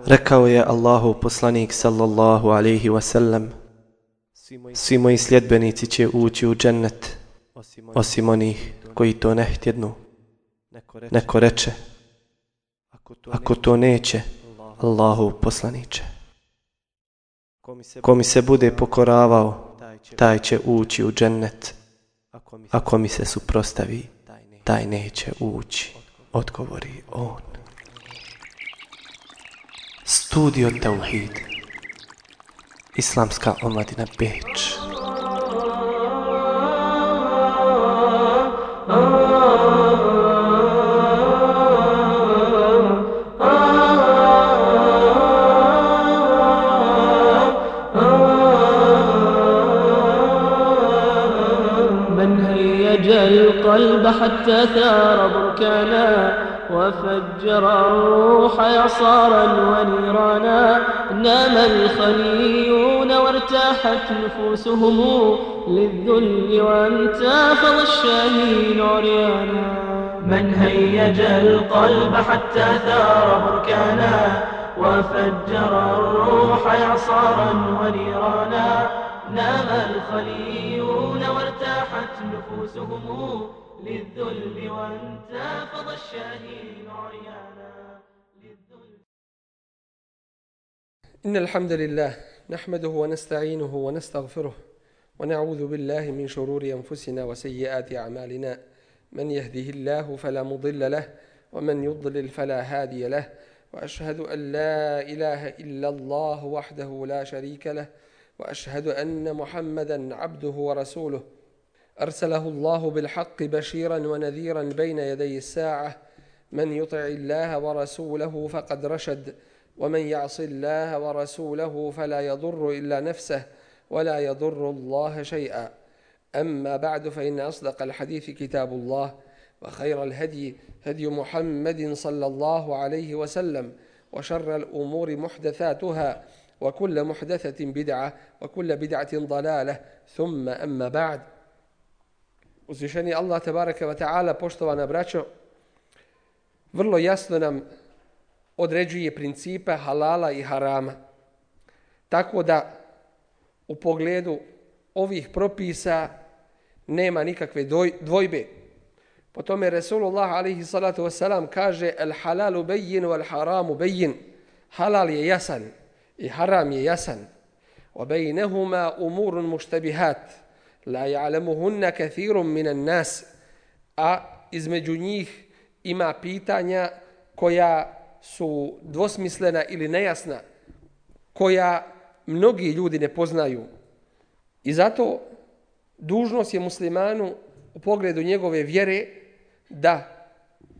Rekao je Allahov poslanik sallallahu alejhi ve sellem: svi moji sljedbenici će ući u džennet, osim onih koji to ne htjednu. Neko reče: ako to neće, Allahov poslaniče. Ko mi se bude pokoravao, taj će ući u džennet. Ako mi se suprotstavi, taj neće ući, odgovori on. Studio Tauhid, Islamska omladina Beč. القلب حتى ثار بركانا وفجر الروح يصارا ونيرانا نام الخليون وارتاحت نفوسهم للذل وانتفض الشاهين عريانا من هيج القلب حتى ثار بركانا وفجر الروح يصارا ونيرانا نام الخليون وارتاحت نفوسهم للذل وانتفض الشاهين عريانا. إن الحمد لله نحمده ونستعينه ونستغفره ونعوذ بالله من شرور أنفسنا وسيئات أعمالنا من يهده الله فلا مضل له ومن يضلل فلا هادي له وأشهد أن لا إله إلا الله وحده لا شريك له وأشهد أن محمدا عبده ورسوله أرسله الله بالحق بشيرا ونذيرا بين يدي الساعة من يطع الله ورسوله فقد رشد ومن يعص الله ورسوله فلا يضر إلا نفسه ولا يضر الله شيئا أما بعد فإن أصدق الحديث كتاب الله وخير الهدي هدي محمد صلى الله عليه وسلم وشر الأمور محدثاتها وكل محدثة بدعة وكل بدعة ضلالة ثم أما بعد. Uzvišeni Allah tebareke ve taala, poštovana braćo, vrlo jasno nam određuje principe halala i harama. Tako da u pogledu ovih propisa nema nikakve dvojbe. Po tome Resulullah alejhi salatu vesselam kaže: "El halalu bayyin wal haramu bayyin." Halal je jasan i haram je jasan. Wa baynahuma umurun mushtabihat la ya'lamuhunna kathirun minan nas. A između njih ima pitanja koja su dvosmislena ili nejasna, koja mnogi ljudi ne poznaju. I zato dužnost je muslimanu u pogledu njegove vjere da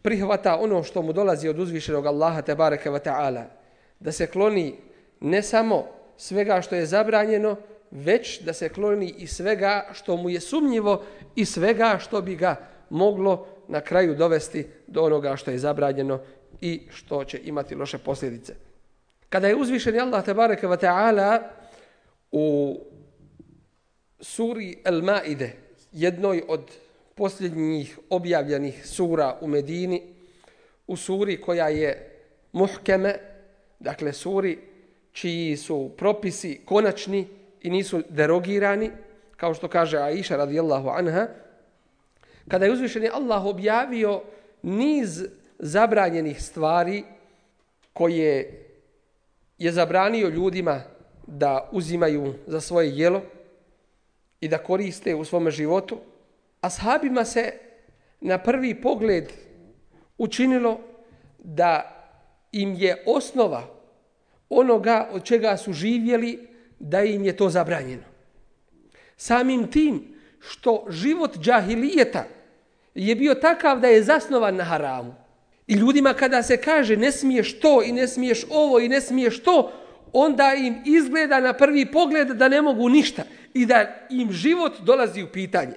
prihvata ono što mu dolazi od uzvišenog Allaha tebareke ve taala, da se kloni ne samo svega što je zabranjeno, već da se kloni i svega što mu je sumnjivo i svega što bi ga moglo na kraju dovesti do onoga što je zabranjeno i što će imati loše posljedice. Kada je uzvišeni Allah tebareke ve taala u suri Al-Maide, jednoj od posljednjih objavljenih sura u Medini, u suri koja je muhkeme, dakle suri čiji su propisi konačni i nisu derogirani, kao što kaže Aisha radijallahu anha, kada je uzvišeni Allah objavio niz zabranjenih stvari koje je zabranio ljudima da uzimaju za svoje jelo i da koriste u svom životu, ashabima se na prvi pogled učinilo da im je osnova onoga od čega su živjeli, da im je to zabranjeno. Samim tim što život džahilijeta je bio takav da je zasnovan na haramu. I ljudima kada se kaže ne smiješ to i ne smiješ ovo i ne smiješ to, onda im izgleda na prvi pogled da ne mogu ništa i da im život dolazi u pitanje.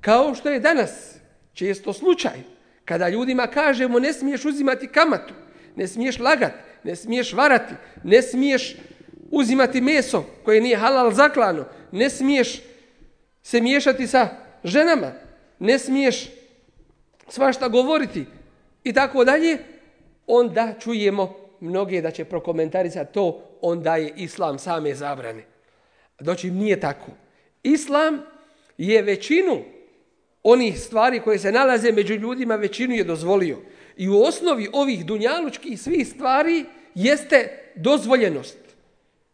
Kao što je danas često slučaj, kada ljudima kažemo ne smiješ uzimati kamatu, ne smiješ lagati, ne smiješ varati, ne smiješ uzimati meso koje nije halal zaklano, ne smiješ se miješati sa ženama, ne smiješ svašta govoriti i tako dalje, onda čujemo mnoge da će prokomentarisati to, onda je islam same zabrane. Doći nije tako. Islam je većinu onih stvari koje se nalaze među ljudima, većinu je dozvolio. I u osnovi ovih dunjalučkih svih stvari jeste dozvoljenost.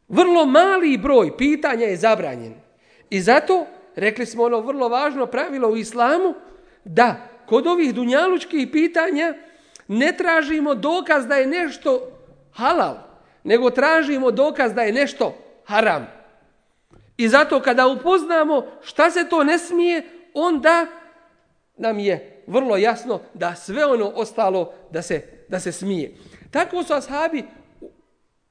Vrlo mali broj pitanja je zabranjen. I zato, rekli smo ono vrlo važno pravilo u islamu, da kod ovih dunjalučkih pitanja ne tražimo dokaz da je nešto halal, nego tražimo dokaz da je nešto haram. I zato kada upoznamo šta se to ne smije, onda nam je vrlo jasno da sve ono ostalo da se smije. Tako su ashabi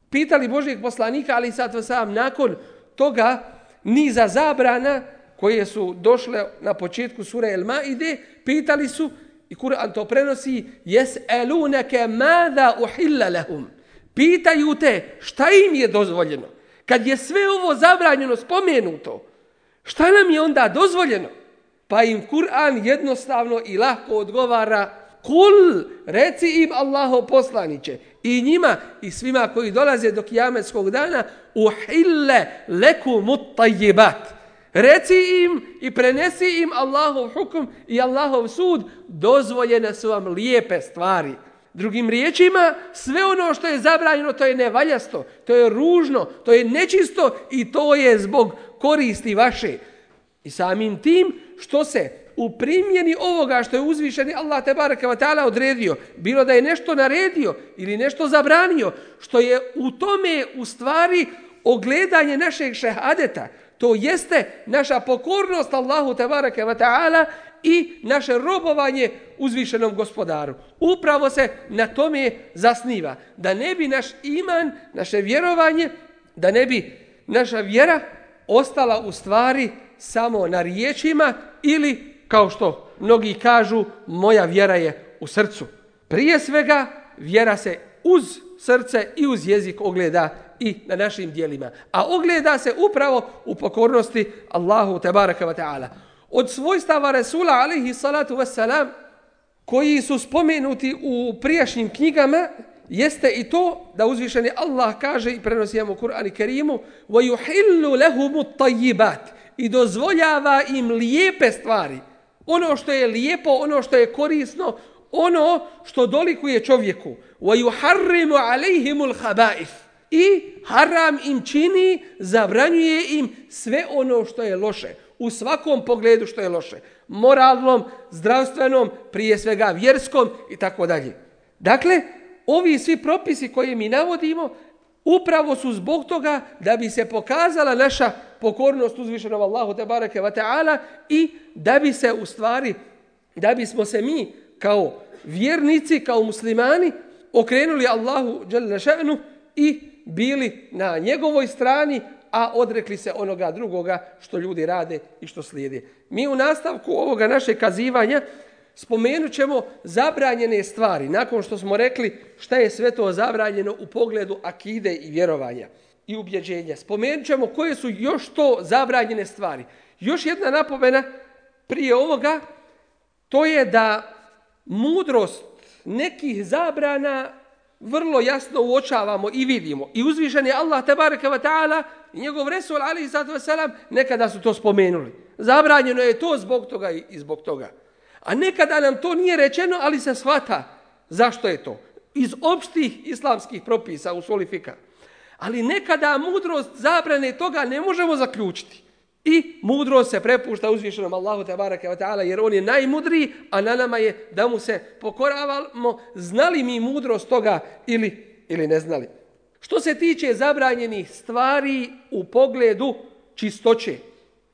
pitali Božijeg poslanika, ali sad sam nakon toga niza zabrana koje su došle na početku sure El Maide, pitali su, i Kur'an to prenosi, jes'elunake mada uhilla lahum. Pitaju te šta im je dozvoljeno. Kad je sve ovo zabranjeno spomenuto, šta nam je onda dozvoljeno? Pa im Kur'an jednostavno i lahko odgovara, kul, reci im Allahov poslaniće, i njima i svima koji dolaze do kijametskog dana, uhille lekumut tajjibat. Reci im i prenesi im Allahov hukm i Allahov sud, dozvoljene su vam lijepe stvari. Drugim riječima, sve ono što je zabranjeno, to je nevaljasto, to je ružno, to je nečisto i to je zbog koristi vaše. I samim tim što se u primjeni ovoga što je uzvišeni Allah tebareke ve taala odredio, bilo da je nešto naredio ili nešto zabranio, što je u tome u stvari ogledanje našeg šehadeta, to jeste naša pokornost Allahu tebareke ve taala i naše robovanje uzvišenom gospodaru. Upravo se na tome zasniva. Da ne bi naš iman, naše vjerovanje, da ne bi naša vjera ostala u stvari samo na riječima ili, kao što mnogi kažu, moja vjera je u srcu. Prije svega, vjera se uz srce i uz jezik ogleda i na našim dijelima. A ogleda se upravo u pokornosti Allahu tebareke ve taala. Od svojstava Resula alejhi salatu vesselam koji su spomenuti u prijašnjim knjigama jeste i to da uzvišeni Allah kaže i prenosimo u Kur'anu Kerimu وَيُحِلُّ لَهُمُ الطَّيِّبَاتِ i dozvoljava im lijepe stvari. Ono što je lijepo, ono što je korisno, ono što dolikuje čovjeku. وَيُحَرِّمُ عَلَيْهِمُ الْخَبَائِثِ i haram im čini, zabranjuje im sve ono što je loše. U svakom pogledu što je loše. Moralnom, zdravstvenom, prije svega vjerskom i tako dalje. Dakle, ovi svi propisi koje mi navodimo upravo su zbog toga da bi se pokazala naša pokornost uzvišenom Allahu tebareke ve taala i da bi se u stvari, da bismo se mi kao vjernici, kao muslimani okrenuli Allahu dželle še'nu i bili na njegovoj strani, a odrekli se onoga drugoga što ljudi rade i što slijede. Mi u nastavku ovoga našeg kazivanja spomenut ćemo zabranjene stvari, nakon što smo rekli šta je sve to zabranjeno u pogledu akide i vjerovanja i ubjeđenja. Spomenut ćemo koje su još to zabranjene stvari. Još jedna napomena prije ovoga, to je da mudrost nekih zabrana vrlo jasno uočavamo i vidimo. I uzvišen je Allah tebareke ve taala i njegov Resul alejhi salatu vesselam nekada su to spomenuli. Zabranjeno je to zbog toga i zbog toga. A nekada nam to nije rečeno, ali se shvata zašto je to. Iz opštih islamskih propisa u solifika. Ali nekada mudrost zabrane toga ne možemo zaključiti. I mudrost se prepušta uzvišenom Allahu tebareke ve taala jer on je najmudriji, a na nama je da mu se pokoravamo, znali mi mudrost toga ili ne znali. Što se tiče zabranjenih stvari u pogledu čistoće,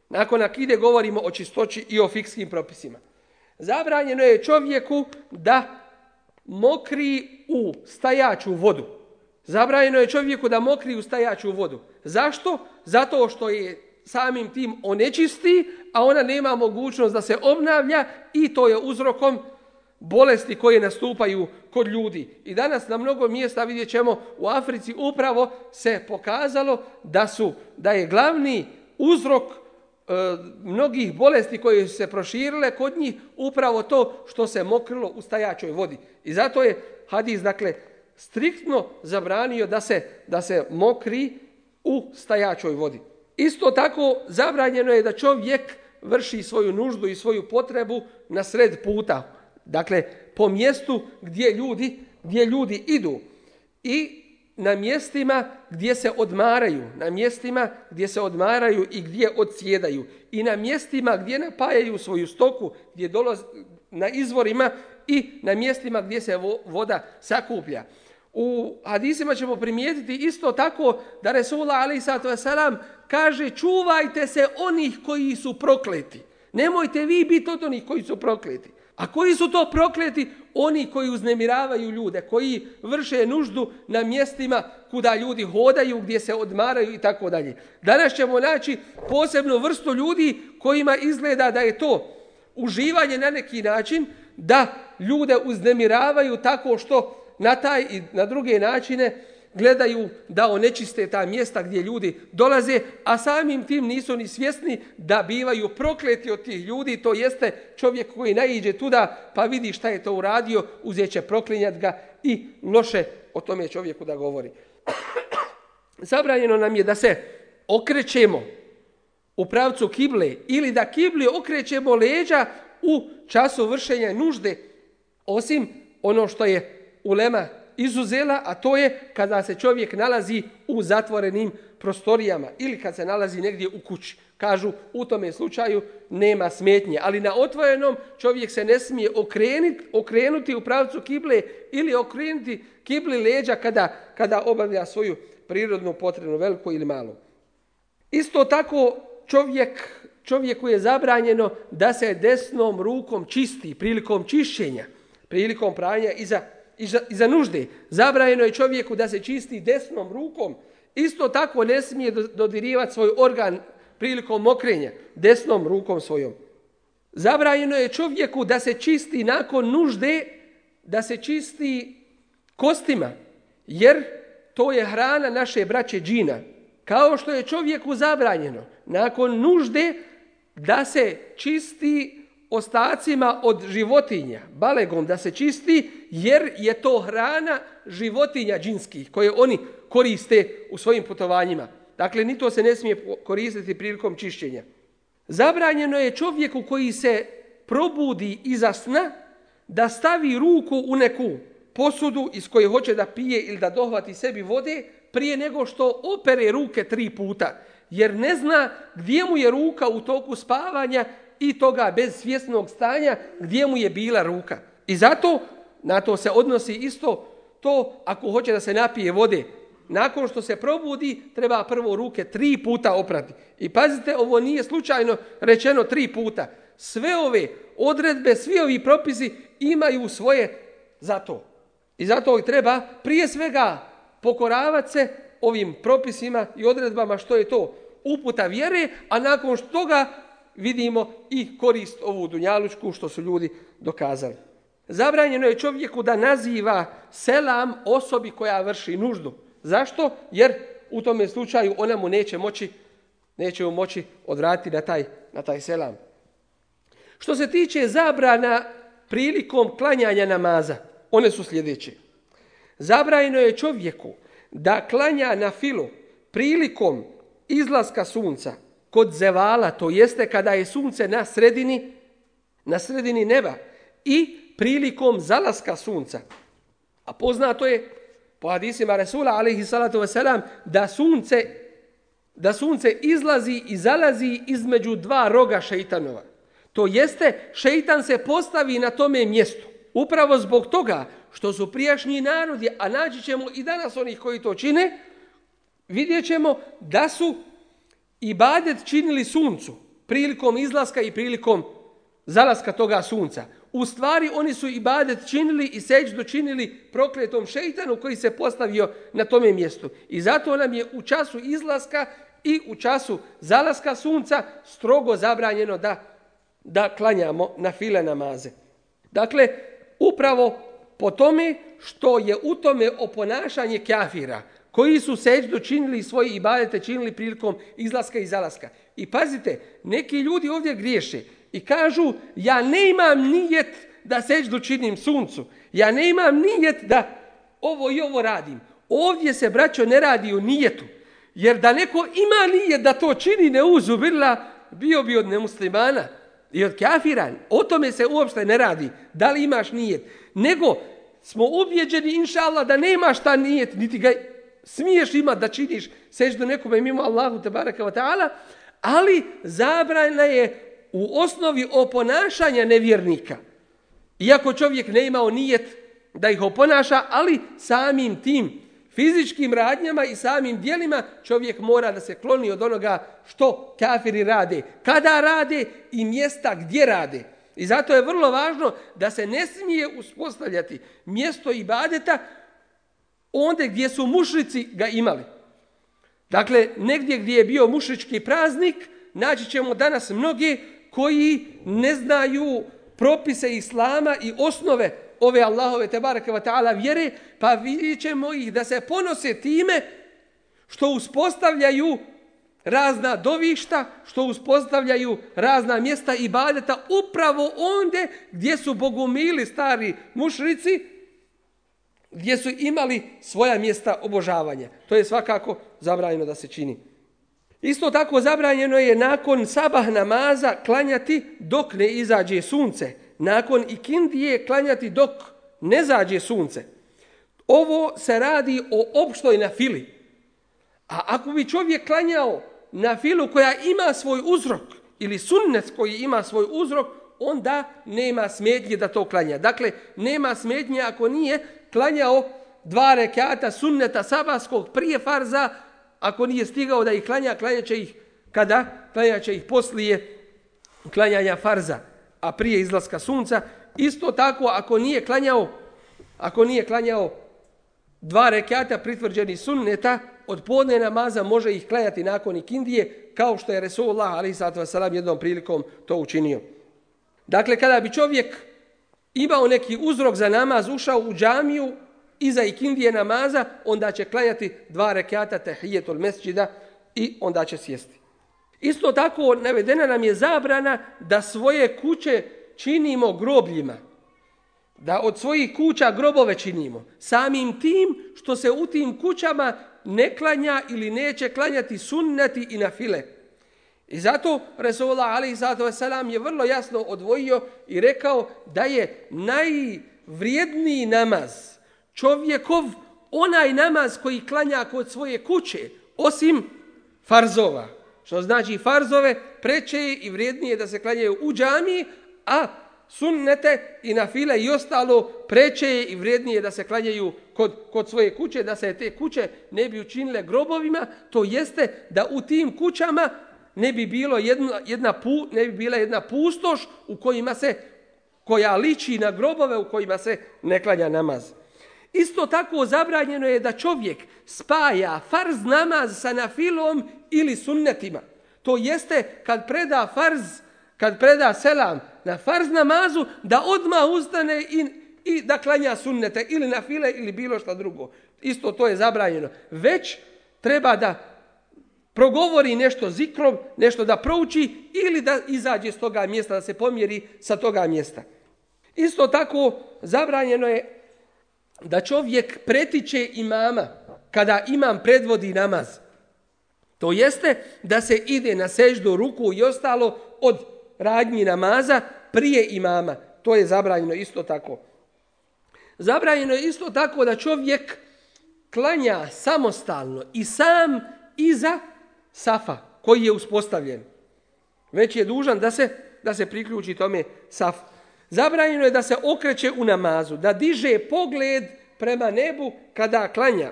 nakon akide govorimo o čistoći i o fikskim propisima. Zabranjeno je čovjeku da mokri u stajaću vodu. Zabranjeno je čovjeku da mokri u stajaću vodu. Zašto? Zato što je samim tim onečisti, a ona nema mogućnost da se obnavlja i to je uzrokom bolesti koje nastupaju kod ljudi. I danas na mnogo mjesta vidjet ćemo u Africi upravo se pokazalo da je glavni uzrok mnogih bolesti koje su se proširile kod njih upravo to što se mokrilo u stajaćoj vodi. I zato je hadis, dakle, striktno zabranio da se mokri u stajačoj vodi. Isto tako zabranjeno je da čovjek vrši svoju nuždu i svoju potrebu na sred puta. Dakle, po mjestu gdje ljudi idu i na mjestima gdje se odmaraju, i gdje odsjedaju, i na mjestima gdje napajaju svoju stoku, gdje dolaze na izvorima, i na mjestima gdje se voda sakuplja. U hadisima ćemo primijetiti isto tako da Resulullah alejhiselatu vesselam kaže: čuvajte se onih koji su prokleti. Nemojte vi biti od onih koji su prokleti. A koji su to prokleti? Oni koji uznemiravaju ljude, koji vrše nuždu na mjestima kuda ljudi hodaju, gdje se odmaraju i tako dalje. Danas ćemo naći posebnu vrstu ljudi kojima izgleda da je to uživanje na neki način, da ljude uznemiravaju tako što na taj i na druge načine gledaju da onečiste ta mjesta gdje ljudi dolaze, a samim tim nisu ni svjesni da bivaju prokleti od tih ljudi. To jeste, čovjek koji naiđe tuda pa vidi šta je to uradio, uzet će proklinjati ga i loše o tome čovjeku da govori. Zabranjeno nam je da se okrećemo u pravcu kible ili da kibli okrećemo leđa u času vršenja nužde, osim ono što je ulema izuzela, a to je kada se čovjek nalazi u zatvorenim prostorijama ili kad se nalazi negdje u kući. Kažu, u tome slučaju nema smetnje, ali na otvorenom čovjek se ne smije okrenuti u pravcu kible ili okrenuti kibli leđa kada obavlja svoju prirodnu potrebu, veliku ili malu. Isto tako čovjeku je zabranjeno da se desnom rukom čisti prilikom čišćenja, prilikom pranja iza nužde. Zabranjeno je čovjeku da se čisti desnom rukom. Isto tako ne smije dodirivati svoj organ prilikom mokrenja desnom rukom svojom. Zabranjeno je čovjeku da se čisti nakon nužde, da se čisti kostima, jer to je hrana naše braće džina. Kao što je čovjeku zabranjeno nakon nužde da se čisti ostacima od životinja, balegom da se čisti, jer je to hrana životinja džinskih koje oni koriste u svojim putovanjima. Dakle, ni to se ne smije koristiti prilikom čišćenja. Zabranjeno je čovjeku koji se probudi iza sna da stavi ruku u neku posudu iz koje hoće da pije ili da dohvati sebi vode prije nego što opere ruke 3 puta, jer ne zna gdje mu je ruka u toku spavanja i toga bez svjesnog stanja gdje mu je bila ruka. I zato na to se odnosi isto to ako hoće da se napije vode. Nakon što se probudi treba prvo ruke 3 puta oprati. I pazite, ovo nije slučajno rečeno 3 puta. Sve ove odredbe, svi ovi propisi imaju svoje za to. I zato treba prije svega pokoravati se ovim propisima i odredbama što je to uputa vjere, a nakon toga vidimo i korist ovu dunjalučku što su ljudi dokazali. Zabranjeno je čovjeku da naziva selam osobi koja vrši nuždu. Zašto? Jer u tome slučaju ona mu neće mu moći odvratiti na taj selam. Što se tiče zabrana prilikom klanjanja namaza, one su sljedeće. Zabranjeno je čovjeku da klanja na filu prilikom izlaska sunca kod zevala, to jeste kada je sunce na sredini neba, i prilikom zalaska sunca. A poznato je po hadisima Resula alejhiselatu vesselam da sunce izlazi i zalazi između 2 roga šejtanova. To jeste, šejtan se postavi na tome mjestu. Upravo zbog toga što su prijašnji narodi, a naći ćemo i danas onih koji to čine, vidjet ćemo da su ibadet činili suncu prilikom izlaska i prilikom zalaska toga sunca. U stvari oni su ibadet činili i sećdu činili prokletom šejtanu koji se postavio na tome mjestu. I zato nam je u času izlaska i u času zalaska sunca strogo zabranjeno da klanjamo na file namaze. Dakle, upravo po tome što je u tome oponašanje kafira koji su sećdu činili i svoje ibadete činili prilikom izlaska i zalaska. I pazite, neki ljudi ovdje griješe i kažu, ja ne imam nijet da sećdu činim suncu, ja ne imam nijet da ovo i ovo radim. Ovdje se, braćo, ne radi o nijetu. Jer da neko ima nijet da to čini, ne uzubila, bio bi od nemuslimana i od kafira. O tome se uopšte ne radi. Da li imaš nijet? Nego smo ubjeđeni, inša Allah, da nemaš ta nijet, niti ga smiješ imati da činiš seždu nekome mimo Allahu tebaraka wa ta'ala, ali zabrana je u osnovi oponašanja nevjernika. Iako čovjek ne imao nijet da ih oponaša, ali samim tim fizičkim radnjama i samim dijelima čovjek mora da se kloni od onoga što kafiri rade, kada rade i mjesta gdje rade. I zato je vrlo važno da se ne smije uspostavljati mjesto ibadeta onde gdje su mušrici ga imali. Dakle, negdje gdje je bio mušrički praznik, naći ćemo danas mnoge koji ne znaju propise islama i osnove ove Allahove tebareke ve taala vjere, pa vidjet ćemo ih da se ponose time što uspostavljaju razna dovišta, što uspostavljaju razna mjesta ibadeta upravo onde gdje su bogumili stari mušrici, gdje su imali svoja mjesta obožavanja. To je svakako zabranjeno da se čini. Isto tako zabranjeno je nakon sabah namaza klanjati dok ne izađe sunce. Nakon ikindije klanjati dok ne zađe sunce. Ovo se radi o opštoj nafili. A ako bi čovjek klanjao nafilu koja ima svoj uzrok ili sunnet koji ima svoj uzrok, onda nema smetnje da to klanja. Dakle, nema smetnje ako nije klanjao 2 rekata sunneta sabahskog prije farza, ako nije stigao da ih klanja, klanjat će ih kada? Klanjat će ih poslije klanjanja farza, a prije izlaska sunca. Isto tako ako nije klanjao 2 rekata pritvrđenih sunneta od podne namaza, može ih klanjati nakon ikindije, kao što je Resulullah alejhi ve sellem jednom prilikom to učinio. Dakle, kada bi čovjek imao neki uzrok za namaz, ušao u džamiju iza ikindije namaza, onda će klanjati 2 rekata tahijetul mesdžida i onda će sjesti. Isto tako navedena nam je zabrana da svoje kuće činimo grobljima. Da od svojih kuća grobove činimo. Samim tim što se u tim kućama ne klanja ili neće klanjati sunneti i nafile. I zato Resulullah alejhi ve sellem je vrlo jasno odvojio i rekao da je najvrijedniji namaz čovjekov onaj namaz koji klanja kod svoje kuće, osim farzova. Što znači farzove preče je i vrijednije da se klanjaju u džamiji, a sunnete i nafile i ostalo preče je i vrijednije da se klanjaju kod svoje kuće, da se te kuće ne bi učinile grobovima, to jeste da u tim kućama ne bi bila jedna pustoš koja liči na grobove u kojima se ne klanja namaz. Isto tako zabranjeno je da čovjek spaja farz namaz sa nafilom ili sunnetima. To jeste kad preda selam na farz namazu, da odmah ustane i da klanja sunnete ili nafile ili bilo što drugo. Isto to je zabranjeno. Već treba da progovori nešto zikrom, nešto da prouči ili da izađe s toga mjesta, da se pomjeri sa toga mjesta. Isto tako zabranjeno je da čovjek pretiče imama kada imam predvodi namaz. To jeste da se ide na seždu, ruku i ostalo od radnji namaza prije imama. To je zabranjeno isto tako. Zabranjeno je isto tako da čovjek klanja samostalno i sam iza safa koji je uspostavljen. Već je dužan da se priključi tome safu. Zabranjeno je da se okreće u namazu, da diže pogled prema nebu kada klanja,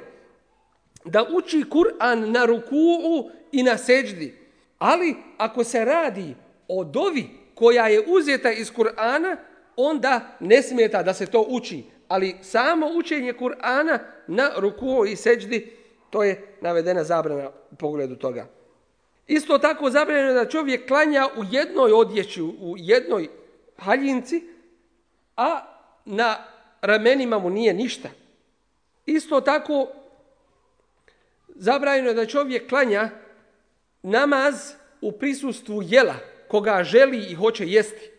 da uči Kur'an na rukuu i na seđdi. Ali ako se radi o dovi koja je uzeta iz Kur'ana, onda ne smeta da se to uči. Ali samo učenje Kur'ana na rukuu i seđdi, to je navedena zabrana u pogledu toga. Isto tako zabranjeno je da čovjek klanja u jednoj odjeći, u jednoj haljinci, a na ramenima mu nije ništa. Isto tako zabranjeno je da čovjek klanja namaz u prisustvu jela koga želi i hoće jesti.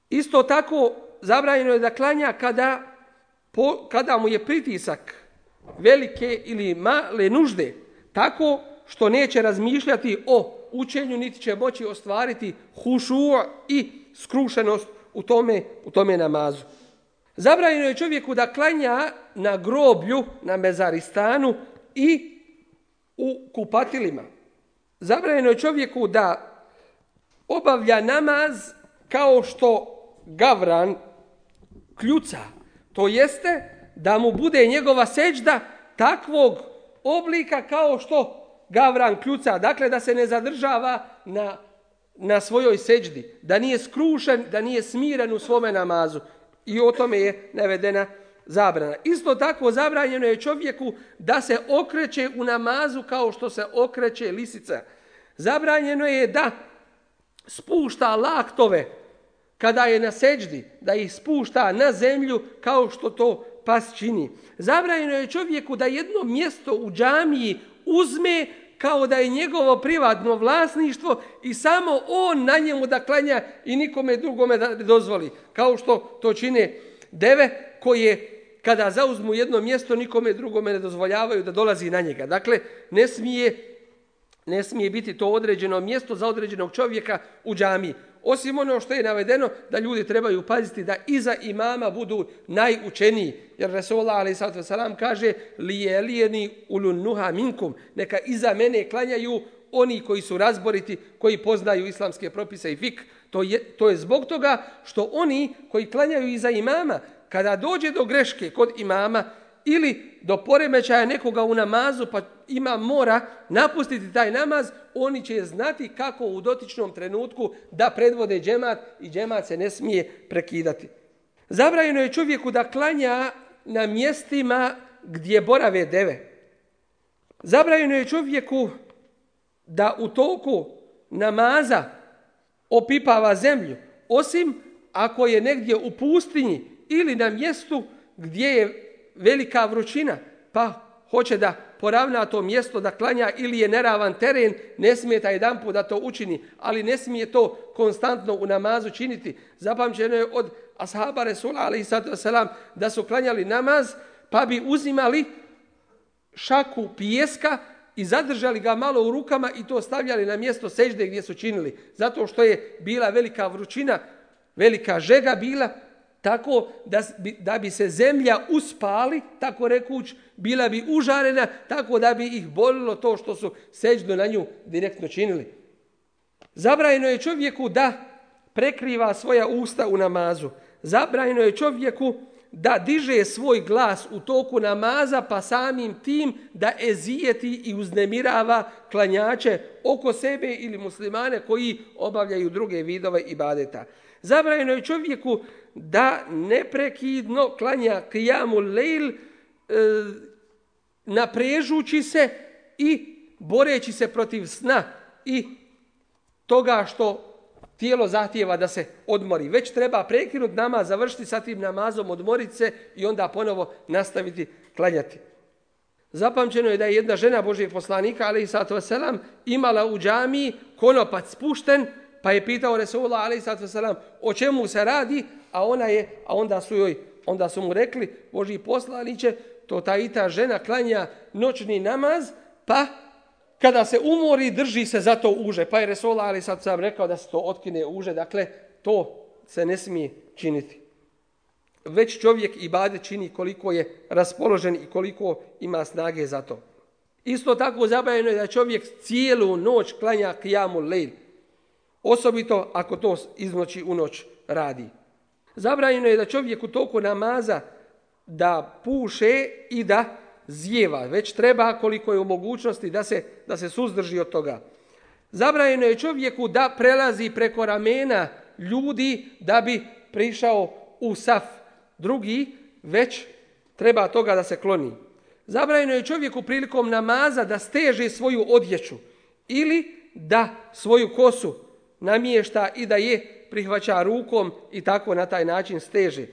Isto tako zabranjeno je da klanja kada kada mu je pritisak velike ili male nužde, tako što neće razmišljati o učenju, niti će moći ostvariti hušu i skrušenost u tome namazu. Zabranjeno je čovjeku da klanja na groblju, na mezaristanu i u kupatilima. Zabranjeno je čovjeku da obavlja namaz kao što gavran kljuca. To jeste da mu bude njegova seđda takvog oblika kao što gavran kljuca. Dakle, da se ne zadržava na svojoj seđdi, da nije skrušen, da nije smiren u svome namazu. I o tome je navedena zabrana. Isto tako zabranjeno je čovjeku da se okreće u namazu kao što se okreće lisica. Zabranjeno je da spušta laktove kada je na seđdi, da ih spušta na zemlju kao što to pas čini. Zabranjeno je čovjeku da jedno mjesto u džamiji uzme kao da je njegovo privatno vlasništvo i samo on na njemu da klanja i nikome drugome da dozvoli. Kao što to čine deve koje kada zauzmu jedno mjesto nikome drugome ne dozvoljavaju da dolazi na njega. Dakle, ne smije biti to određeno mjesto za određenog čovjeka u džamiji. Osim ono što je navedeno da ljudi trebaju paziti da iza imama budu najučeniji. Jer Resulullah a.s. kaže lijelijeni ulun nuha minkum, neka iza mene klanjaju oni koji su razboriti, koji poznaju islamske propise i fik. To je zbog toga što oni koji klanjaju iza imama, kada dođe do greške kod imama ili do poremećaja nekoga u namazu, pa imam mora napustiti taj namaz, oni će znati kako u dotičnom trenutku da predvode džemat i džemat se ne smije prekidati. Zabranjeno je čovjeku da klanja na mjestima gdje borave deve. Zabranjeno je čovjeku da u toku namaza opipava zemlju, osim ako je negdje u pustinji ili na mjestu gdje je velika vrućina, pa hoće da poravna to mjesto da klanja ili je neravan teren, ne smije taj jedanput da to učini, ali ne smije to konstantno u namazu činiti. Zapamćeno je od ashaba Resula a.s. da su klanjali namaz, pa bi uzimali šaku pijeska i zadržali ga malo u rukama i to stavljali na mjesto sežde gdje su činili. Zato što je bila velika vrućina, velika žega bila, tako da bi se zemlja uspali, tako rekuć, bila bi užarena, tako da bi ih bolilo to što su seđdu na nju direktno činili. Zabranjeno je čovjeku da prekriva svoja usta u namazu. Zabranjeno je čovjeku da diže svoj glas u toku namaza, pa samim tim da ezijeti i uznemirava klanjače oko sebe ili muslimane koji obavljaju druge vidove ibadeta. Zabranjeno je čovjeku da neprekidno klanja qiyamul lejl, naprežući se i boreći se protiv sna i toga što tijelo zahtijeva da se odmori. Već treba prekinuti namaz, završiti sa tim namazom, odmoriti se i onda ponovo nastaviti klanjati. Zapamćeno je da je jedna žena Božijeg poslanika, a.s. imala u džamiji konopac spušten, pa je pitao Resulullah a.s. o čemu se radi, onda su mu rekli, Božji poslaniće, to ta žena klanja noćni namaz, pa kada se umori drži se za to uže. Pa je Resulullah a.s. rekao da se to otkine uže, dakle to se ne smije činiti. Već čovjek ibadet čini koliko je raspoložen i koliko ima snage za to. Isto tako zabranjeno je da čovjek cijelu noć klanja qiyamul lejl, osobito ako to iz noći u noć radi. Zabranjeno je da čovjek u toku namaza da puše i da zijeva, već treba koliko je u mogućnosti da se suzdrži od toga. Zabranjeno je čovjeku da prelazi preko ramena ljudi da bi prišao u saf drugi, već treba toga da se kloni. Zabranjeno je čovjeku prilikom namaza da steže svoju odjeću ili da svoju kosu namješta i da je prihvaća rukom i tako na taj način steže.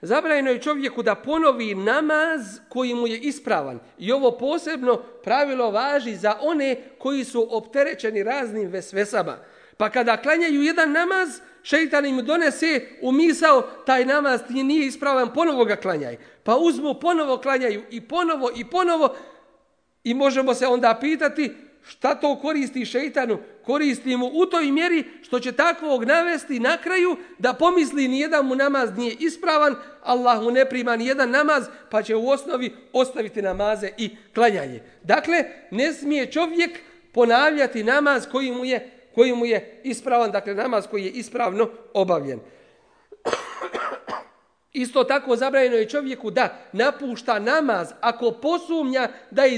Zabranjeno je čovjeku da ponovi namaz koji mu je ispravan. I ovo posebno pravilo važi za one koji su opterećeni raznim vesvesama. Pa kada klanjaju jedan namaz, šeitan im donese u misao taj namaz nije ispravan, ponovo ga klanjaj. Pa uzmu, ponovo klanjaju i ponovo i možemo se onda pitati šta to koristi šeitanu. Koristi mu u toj mjeri što će takvog navesti na kraju da pomisli nijedan mu namaz nije ispravan, Allah mu ne prima nijedan namaz, pa će u osnovi ostaviti namaze i klanjanje. Dakle, ne smije čovjek ponavljati namaz koji mu je ispravan, dakle namaz koji je ispravno obavljen. Isto tako zabranjeno je čovjeku da napušta namaz ako posumnja da je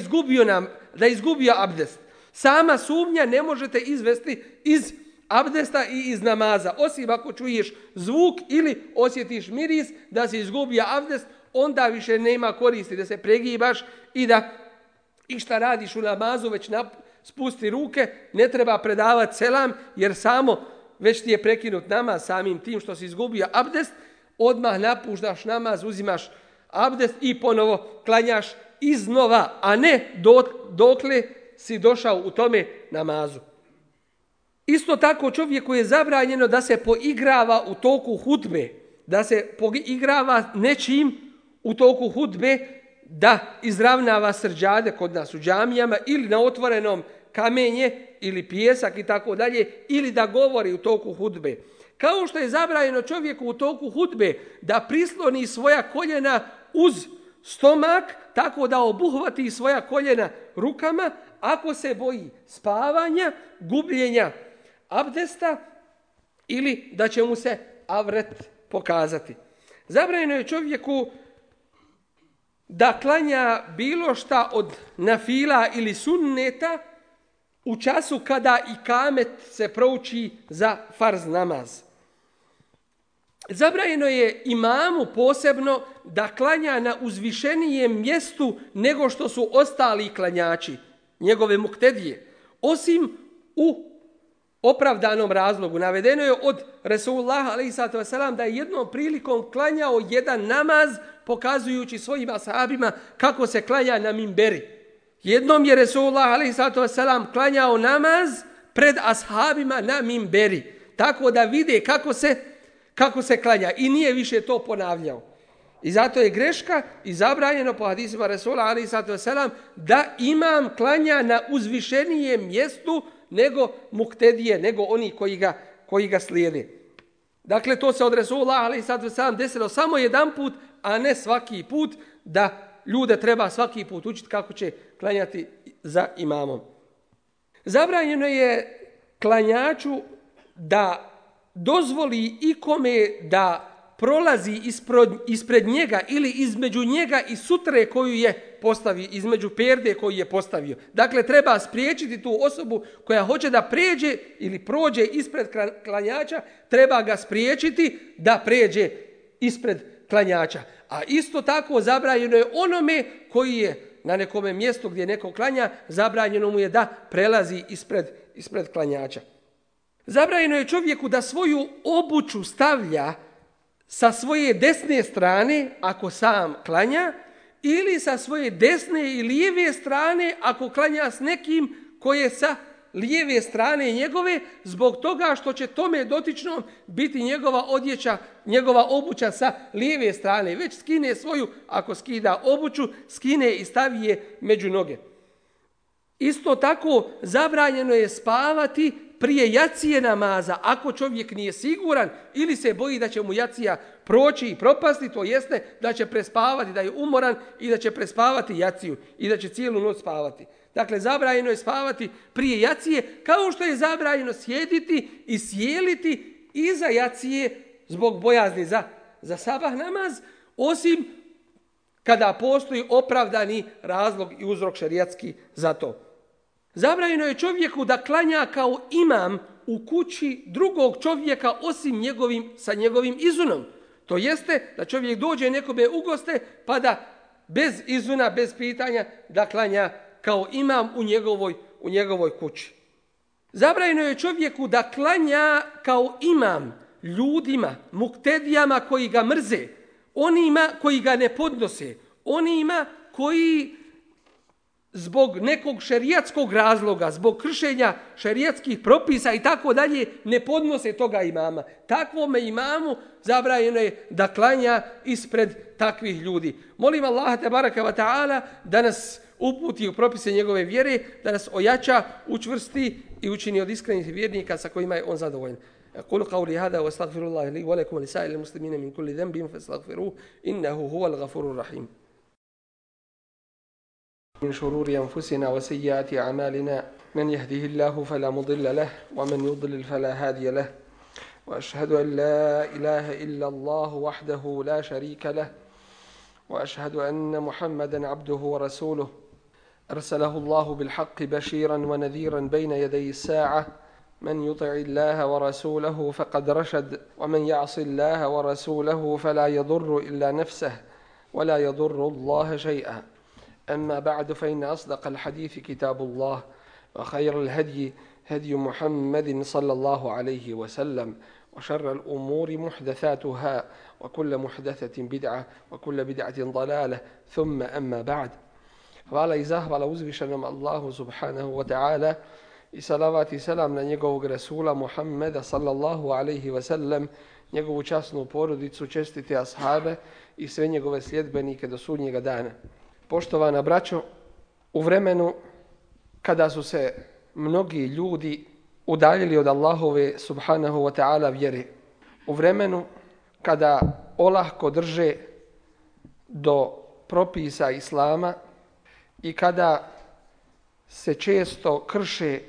izgubio abdest. Sama sumnja ne možete izvesti iz abdesta i iz namaza. Osim ako čuješ zvuk ili osjetiš miris da se izgubio abdest, onda više nema koristi da se pregibaš i šta radiš u namazu, već spusti ruke, ne treba predavati selam, jer već ti je prekinut namaz samim tim što si izgubio abdest, odmah napuštaš namaz, uzimaš abdest i ponovo klanjaš iznova, a ne dokle si došao u tome namazu. Isto tako čovjeku je zabranjeno da se poigrava u toku hudbe, da se poigrava nečim u toku hudbe, da izravnava srđade kod nas u džamijama ili na otvorenom kamenje ili pijesak i tako dalje, ili da govori u toku hudbe. Kao što je zabranjeno čovjeku u toku hudbe da prisloni svoja koljena uz stomak, tako da obuhvati svoja koljena rukama, ako se boji spavanja, gubljenja abdesta ili da će mu se avret pokazati. Zabranjeno je čovjeku da klanja bilo šta od nafila ili sunneta u času kada ikamet se prouči za farz namaz. Zabranjeno je imamu posebno da klanja na uzvišenijem mjestu nego što su ostali klanjači, njegove muktedije, osim u opravdanom razlogu. Navedeno je od Resulullaha alejhi vesselam da je jednom prilikom klanjao jedan namaz pokazujući svojim ashabima kako se klanja na minberi. Jednom je Resulullah alejhi vesselam klanjao namaz pred ashabima na minberi, tako da vide kako se klanja i nije više to ponavljao. I zato je greška i zabranjeno po hadisima Resula alejhi vesselam da imam klanja na uzvišenijem mjestu nego muktedije, nego oni koji ga slijede. Dakle, to se od Resula alejhi vesselam desilo samo jedan put, a ne svaki put, da ljude treba svaki put učiti kako će klanjati za imamom. Zabranjeno je klanjaču da dozvoli ikome da prolazi ispred njega ili između njega i sutre koju je postavio, između perde koju je postavio. Dakle, treba spriječiti tu osobu koja hoće da pređe ili prođe ispred klanjača, treba ga spriječiti da pređe ispred klanjača. A isto tako zabranjeno je onome koji je na nekome mjestu gdje neko klanja, zabranjeno mu je da prelazi ispred klanjača. Zabranjeno je čovjeku da svoju obuću stavlja sa svoje desne strane ako sam klanja, ili sa svoje desne i lijeve strane ako klanja s nekim koje je sa lijeve strane njegove, zbog toga što će tome dotičnom biti njegova odjeća, njegova obuća sa lijeve strane. Već skine svoju, ako skida obuću, skine i stavi je među noge. Isto tako zabranjeno je spavati prije jacije namaza, ako čovjek nije siguran ili se boji da će mu jacija proći i propasti, to jeste da će prespavati, da je umoran i da će prespavati jaciju i da će cijelu noć spavati. Dakle, zabranjeno je spavati prije jacije, kao što je zabranjeno sjediti i sjeliti iza jacije zbog bojazni za sabah namaz, osim kada postoji opravdani razlog i uzrok šerijatski za to. Zabranjeno je čovjeku da klanja kao imam u kući drugog čovjeka osim sa njegovim izunom. To jeste da čovjek dođe nekome u goste pa da bez izuna, bez pitanja da klanja kao imam u njegovoj kući. Zabranjeno je čovjeku da klanja kao imam ljudima, muktedijama koji ga mrze, onima koji ga ne podnose, onima koji zbog nekog šerijatskog razloga, zbog kršenja šerijatskih propisa i tako dalje, ne podnose toga imama. Takvome imamu zabranjeno je da klanja ispred takvih ljudi. Molim Allaha tebaraka wa ta'ala da nas uputi u propise njegove vjere, da nas ojača, učvrsti i učini od iskrenih vjernika sa kojima je on zadovoljan. قولوا قولي هذا واستغفر الله لي ولكم ولسائر المسلمين من كل ذنب فاستغفروه إنه هو الغفور الرحيم. من شرور أنفسنا وسيئات أعمالنا من يهده الله فلا مضل له ومن يضلل فلا هادي له وأشهد أن لا إله إلا الله وحده لا شريك له وأشهد أن محمدا عبده ورسوله أرسله الله بالحق بشيرا ونذيرا بين يدي الساعة من يطع الله ورسوله فقد رشد ومن يعص الله ورسوله فلا يضر إلا نفسه ولا يضر الله شيئا. أما بعد فإن أصدق الحديث كتاب الله وخير الهدي هدي محمد صلى الله عليه وسلم وشر الأمور محدثاتها وكل محدثة بدعة وكل بدعة ضلالة ثم أما بعد. Hvala i zahvala uzvišenom Allahu subhanahu wa ta'ala i salavat i selam na njegovog Rasula Muhammeda sallallahu alaihi wa sallam, njegovu časnu porodicu, čestite ashabe i sve njegove sljedbenike do sudnjega dana. Poštovana braćo, u vremenu kada su se mnogi ljudi udaljili od Allahove subhanahu wa ta'ala vjere, u vremenu kada olahko drže do propisa Islama i kada se često krše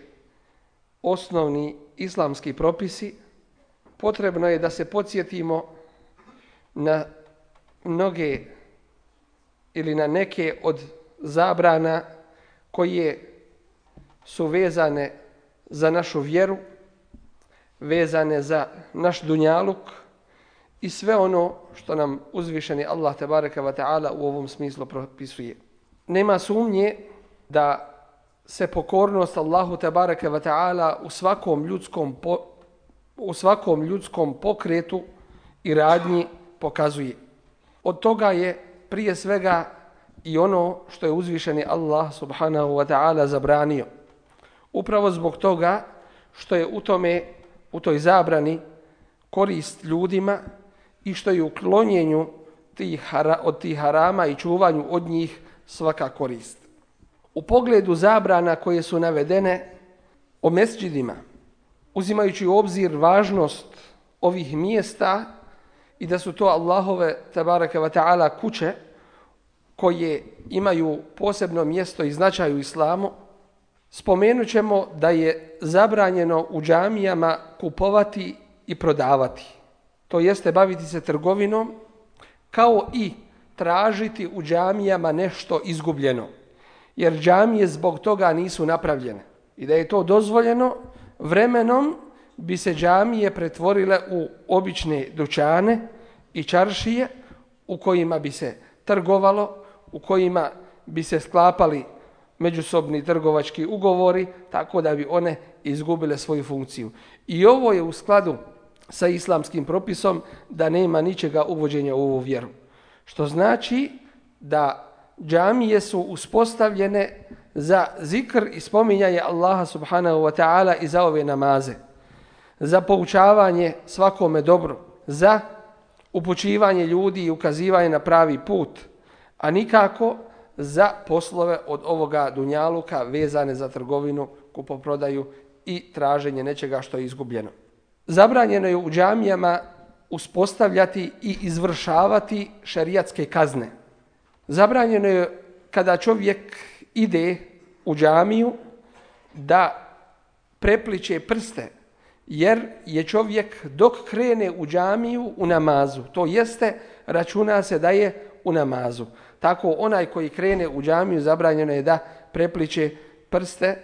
osnovni islamski propisi, potrebno je da se podsjetimo na mnoge ili na neke od zabrana koje su vezane za našu vjeru, vezane za naš dunjaluk i sve ono što nam uzvišeni Allah tebareka wa ta'ala u ovom smislu propisuje. Nema sumnje da se pokornost Allahu tebareka wa ta'ala u svakom ljudskom pokretu i radnji pokazuje. Od toga je prije svega i ono što je uzvišeni Allah subhanahu wa ta'ala zabranio. Upravo zbog toga što je u toj zabrani korist ljudima i što je u klonjenju od tih harama i čuvanju od njih svaka korist. U pogledu zabrana koje su navedene o mesdžidima, uzimajući u obzir važnost ovih mjesta i da su to Allahove tebareke wa ta'ala kuće koje imaju posebno mjesto i značaj u islamu, spomenut ćemo da je zabranjeno u džamijama kupovati i prodavati. To jeste baviti se trgovinom, kao i tražiti u džamijama nešto izgubljeno. Jer džamije zbog toga nisu napravljene. I da je to dozvoljeno, vremenom bi se džamije pretvorile u obične dućane i čaršije u kojima bi se trgovalo, u kojima bi se sklapali međusobni trgovački ugovori, tako da bi one izgubile svoju funkciju. I ovo je u skladu sa islamskim propisom da nema ničega uvođenja u ovu vjeru. Što znači da džamije su uspostavljene za zikr i spominjanje Allaha subhanahu wa ta'ala i za ove namaze, za poučavanje svakome dobro, za upućivanje ljudi i ukazivanje na pravi put, a nikako za poslove od ovoga dunjaluka vezane za trgovinu, kupoprodaju i traženje nečega što je izgubljeno. Zabranjeno je u džamijama uspostavljati i izvršavati šerijatske kazne. Zabranjeno je kada čovjek ide u džamiju da prepliče prste, jer je čovjek dok krene u džamiju u namazu, to jeste računa se da je u namazu. Tako onaj koji krene u džamiju zabranjeno je da prepliče prste,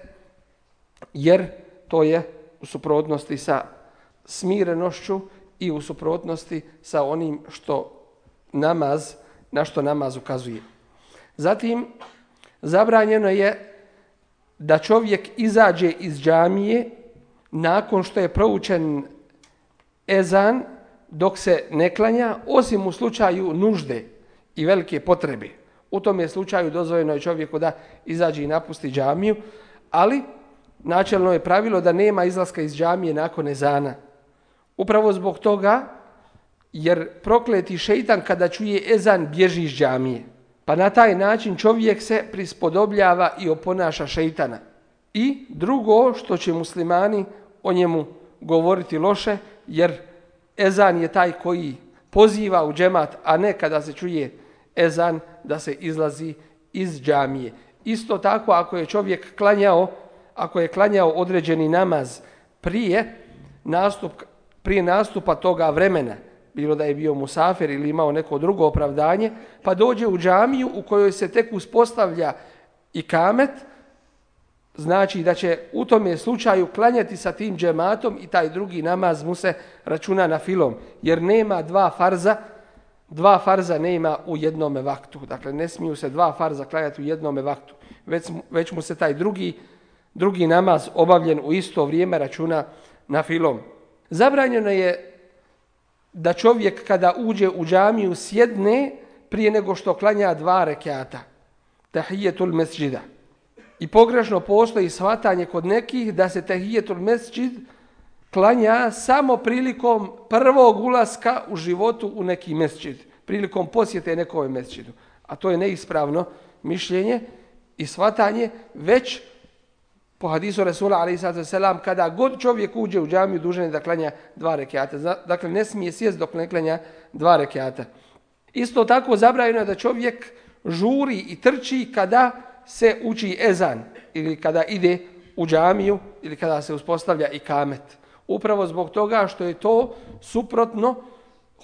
jer to je u suprotnosti sa smirenošću i u suprotnosti sa onim na što namaz ukazuje. Zatim, zabranjeno je da čovjek izađe iz džamije nakon što je proučen ezan dok se ne klanja, osim u slučaju nužde i velike potrebe. U tom je slučaju dozvoljeno je čovjeku da izađe i napusti džamiju, ali načelno je pravilo da nema izlaska iz džamije nakon ezana. Upravo zbog toga, jer prokleti šeitan kada čuje ezan bježi iz džamije. Pa na taj način čovjek se prispodobljava i oponaša šeitana. I drugo što će muslimani o njemu govoriti loše, jer ezan je taj koji poziva u džemat, a ne kada se čuje ezan da se izlazi iz džamije. Isto tako ako je čovjek klanjao određeni namaz prije nastupa toga vremena, bilo da je bio musafir ili imao neko drugo opravdanje, pa dođe u džamiju u kojoj se tek uspostavlja ikamet, znači da će u tome slučaju klanjati sa tim džematom i taj drugi namaz mu se računa na filom, jer nema dva farza nema u jednome vaktu. Dakle, ne smiju se dva farza klanjati u jednome vaktu, već mu se taj drugi namaz obavljen u isto vrijeme računa na filom. Zabranjeno je da čovjek kada uđe u džamiju sjedne prije nego što klanja 2 rekata, tahijetul mesdžida. I pogrešno postoji shvatanje kod nekih da se tahijetul mesdžid klanja samo prilikom prvog ulaska u životu u neki mesdžid, prilikom posjete nekom mesdžidu. A to je neispravno mišljenje i shvatanje, već po hadisu Resula a.s. kada god čovjek uđe u džamiju dužan je da klanja 2 rekata. Dakle, ne smije sjest dok ne klanja 2 rekata. Isto tako zabranjeno je da čovjek žuri i trči kada se uči ezan ili kada ide u džamiju ili kada se uspostavlja ikamet. Upravo zbog toga što je to suprotno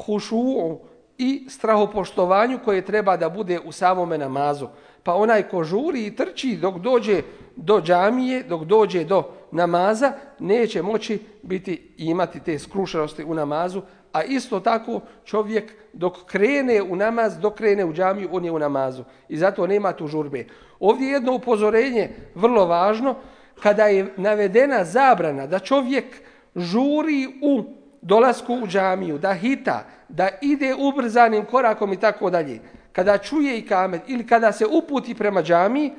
hušuu i strahopoštovanju koje treba da bude u samome namazu. Pa onaj ko žuri i trči dok dođe do džamije, dok dođe do namaza, neće moći imati te skrušenosti u namazu, a isto tako čovjek dok krene u namaz, dok krene u džamiju, on je u namazu. I zato nema tu žurbe. Ovdje je jedno upozorenje vrlo važno, kada je navedena zabrana da čovjek žuri u dolasku u džamiju, da hita, da ide ubrzanim korakom i tako dalje. Kada čuje ikamet ili kada se uputi prema džamiji,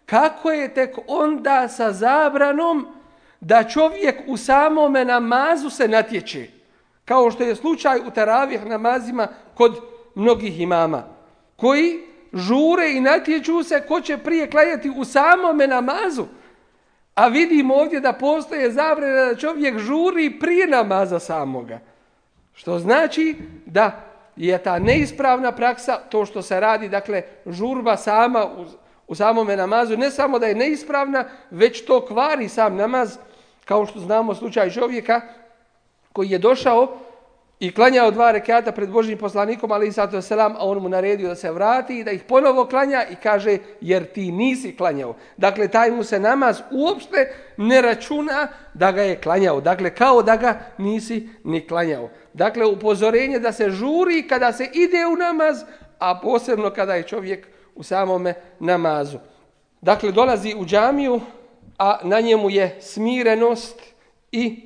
kako je tek onda sa zabranom da čovjek u samome namazu se natječe, kao što je slučaj u teravih namazima kod mnogih imama, koji žure i natječu se ko će prije klanjati u samome namazu. A vidimo ovdje da postoje zabrana da čovjek žuri prije namaza samoga. Što znači da je ta neispravna praksa, to što se radi, dakle, žurba sama u samome namazu, ne samo da je neispravna, već to kvari sam namaz, kao što znamo slučaj čovjeka koji je došao i klanjao 2 rekata pred Božjim poslanikom, alejhi selam, a on mu naredio da se vrati i da ih ponovo klanja i kaže, jer ti nisi klanjao. Dakle, taj mu se namaz uopšte ne računa da ga je klanjao. Dakle, kao da ga nisi ni klanjao. Dakle, upozorenje da se žuri kada se ide u namaz, a posebno kada je čovjek u samome namazu. Dakle, dolazi u džamiju, a na njemu je smirenost i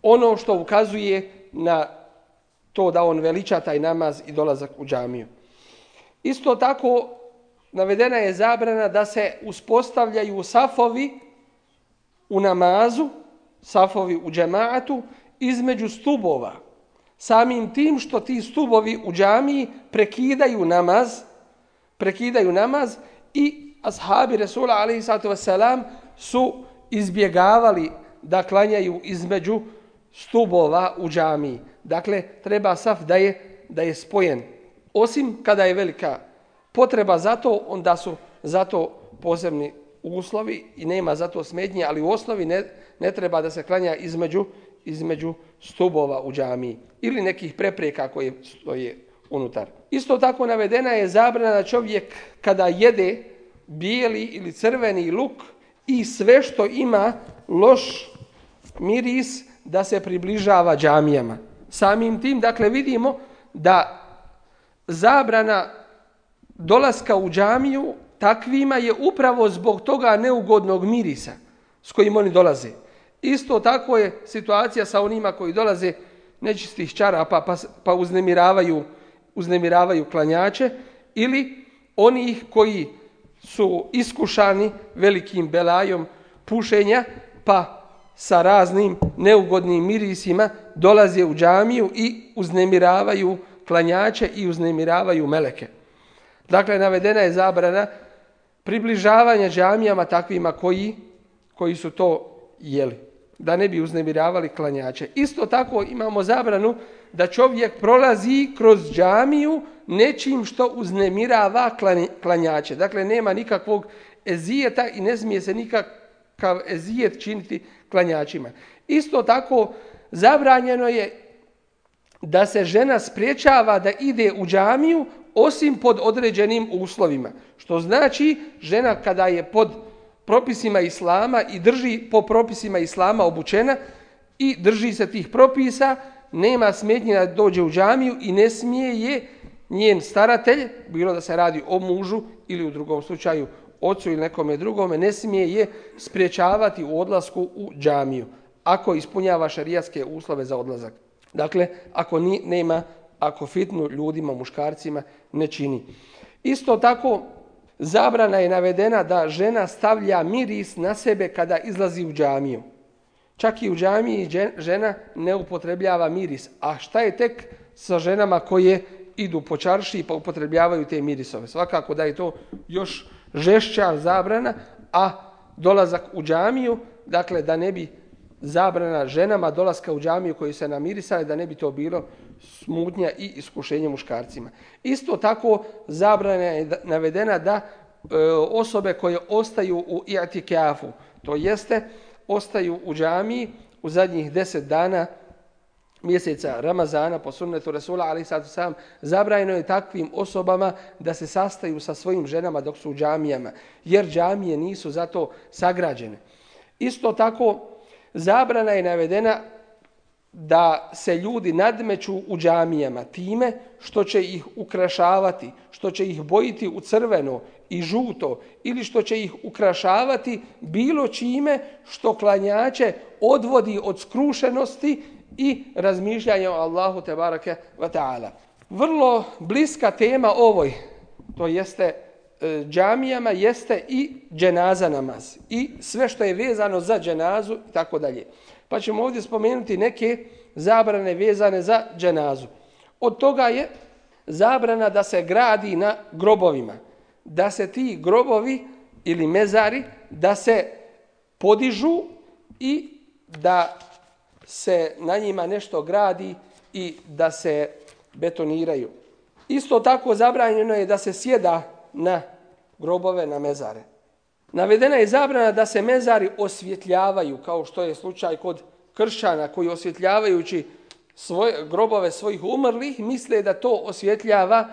ono što ukazuje na to da on veliča taj namaz i dolazak u džamiju. Isto tako navedena je zabrana da se uspostavljaju safovi u namazu, safovi u džemaatu između stubova. Samim tim što ti stubovi u džamiji prekidaju namaz i ashabi Resula a.s. su izbjegavali da klanjaju između stubova u džamiji. Dakle, treba saf da je spojen. Osim kada je velika potreba za to, onda su za to posebni uslovi i nema za to smetnje, ali u osnovi ne treba da se klanja između stubova u džamiji ili nekih prepreka koje stoje unutar. Isto tako navedena je zabrana da čovjek kada jede bijeli ili crveni luk i sve što ima loš miris da se približava džamijama. Samim tim, dakle, vidimo da zabrana dolaska u džamiju takvima je upravo zbog toga neugodnog mirisa s kojim oni dolaze. Isto tako je situacija sa onima koji dolaze nečistih čarapa pa uznemiravaju klanjače ili onih koji su iskušani velikim belajom pušenja, pa sa raznim neugodnim mirisima dolaze u džamiju i uznemiravaju klanjače i uznemiravaju meleke. Dakle, navedena je zabrana približavanja džamijama takvima koji su to jeli, da ne bi uznemiravali klanjače. Isto tako imamo zabranu da čovjek prolazi kroz džamiju nečim što uznemirava klanjače. Dakle, nema nikakvog ezijeta i ne smije se nikakav ezijet činiti klanjačima. Isto tako zabranjeno je da se žena spriječava da ide u džamiju osim pod određenim uslovima. Što znači žena kada je pod propisima islama i drži po propisima islama obučena i drži se tih propisa, nema smetnje da dođe u džamiju i ne smije je njen staratelj, bilo da se radi o mužu ili u drugom slučaju ocu ili nekome drugome, ne smije je spriječavati u odlasku u džamiju ako ispunjava šerijatske uslove za odlazak. Dakle, ako fitnu ljudima, muškarcima ne čini. Isto tako, zabrana je navedena da žena stavlja miris na sebe kada izlazi u džamiju. Čak i u džamiji žena ne upotrebljava miris. A šta je tek sa ženama koje idu po čaršiji pa upotrebljavaju te mirisove? Svakako da je to još žešća zabrana, a dolazak u džamiju, dakle da ne bi zabrana ženama dolaska u džamiju koji se namirisali, da ne bi to bilo smutnja i iskušenje muškarcima. Isto tako zabrana je navedena da osobe koje ostaju u i'tikafu, to jeste ostaju u džamiji u zadnjih 10 dana mjeseca Ramazana po sunnetu Rasula alejhi salatu vesselam, zabranjeno je takvim osobama da se sastaju sa svojim ženama dok su u džamijama, jer džamije nisu za to sagrađene. Isto tako zabrana je navedena da se ljudi nadmeću u džamijama time što će ih ukrašavati, što će ih bojiti u crveno i žuto ili što će ih ukrašavati bilo čime što klanjače odvodi od skrušenosti i razmišljanja o Allahu tebareke ve taala. Vrlo bliska tema ovoj, to jeste džamijama, jeste i dženaza namaz i sve što je vezano za dženazu i tako dalje. Pa ćemo ovdje spomenuti neke zabrane vezane za dženazu. Od toga je zabrana da se gradi na grobovima, da se ti grobovi ili mezari da se podižu i da se na njima nešto gradi i da se betoniraju. Isto tako zabranjeno je da se sjeda na grobove, na mezare. Navedena je zabrana da se mezari osvjetljavaju, kao što je slučaj kod kršćana koji osvjetljavajući grobove svojih umrlih misle da to osvjetljava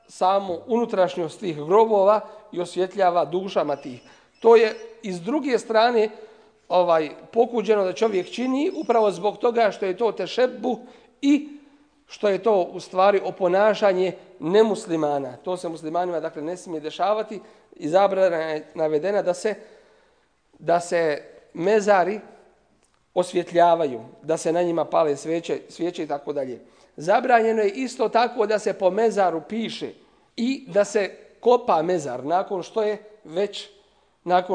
samu unutrašnjost tih grobova i osvjetljava dušama tih. To je iz druge strane pokuđeno da čovjek čini upravo zbog toga što je to tešebbuh i što je to u stvari oponašanje nemuslimana. To se muslimanima dakle ne smije dešavati i zabrana je navedena da se mezari osvjetljavaju, da se na njima pale svijeće i tako dalje. Zabranjeno je isto tako da se po mezaru piše i da se kopa mezar nakon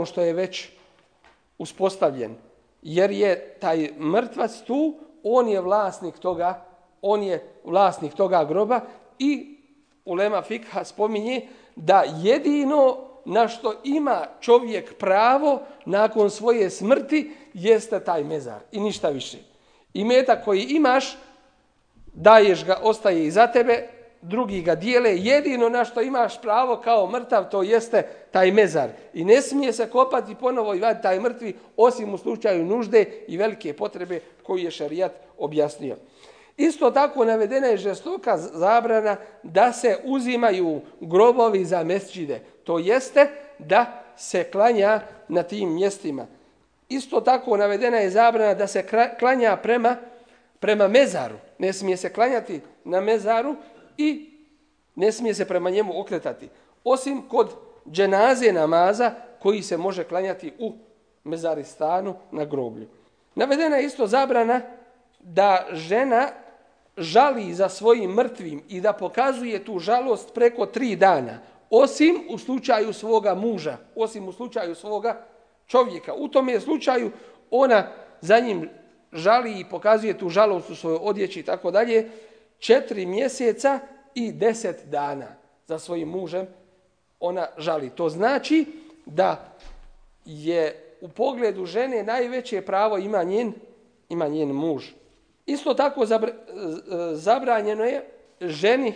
što je već uspostavljen. Jer je taj mrtvac tu, on je vlasnik toga groba i ulema fikha spominje da jedino na što ima čovjek pravo nakon svoje smrti jeste taj mezar i ništa više. Imetak koji imaš, daješ ga, ostaje iza tebe, drugi ga dijele, jedino na što imaš pravo kao mrtav to jeste taj mezar. I ne smije se kopati ponovo i vaditi taj mrtvi osim u slučaju nužde i velike potrebe koju je šerijat objasnio. Isto tako navedena je žestoka zabrana da se uzimaju grobovi za mesdžide. To jeste da se klanja na tim mjestima. Isto tako navedena je zabrana da se klanja prema mezaru. Ne smije se klanjati na mezaru i ne smije se prema njemu okretati. Osim kod dženaze namaza koji se može klanjati u mezaristanu na groblju. Navedena je isto zabrana da žena žali za svojim mrtvim i da pokazuje tu žalost preko 3 dana. osim u slučaju svoga muža, osim u slučaju svoga čovjeka. U tom je slučaju ona za njim žali i pokazuje tu žalost u svojoj odjeći i tako dalje, 4 mjeseca i 10 dana za svojim mužem ona žali. To znači da je u pogledu žene najveće pravo ima njen muž. Isto tako zabranjeno je ženi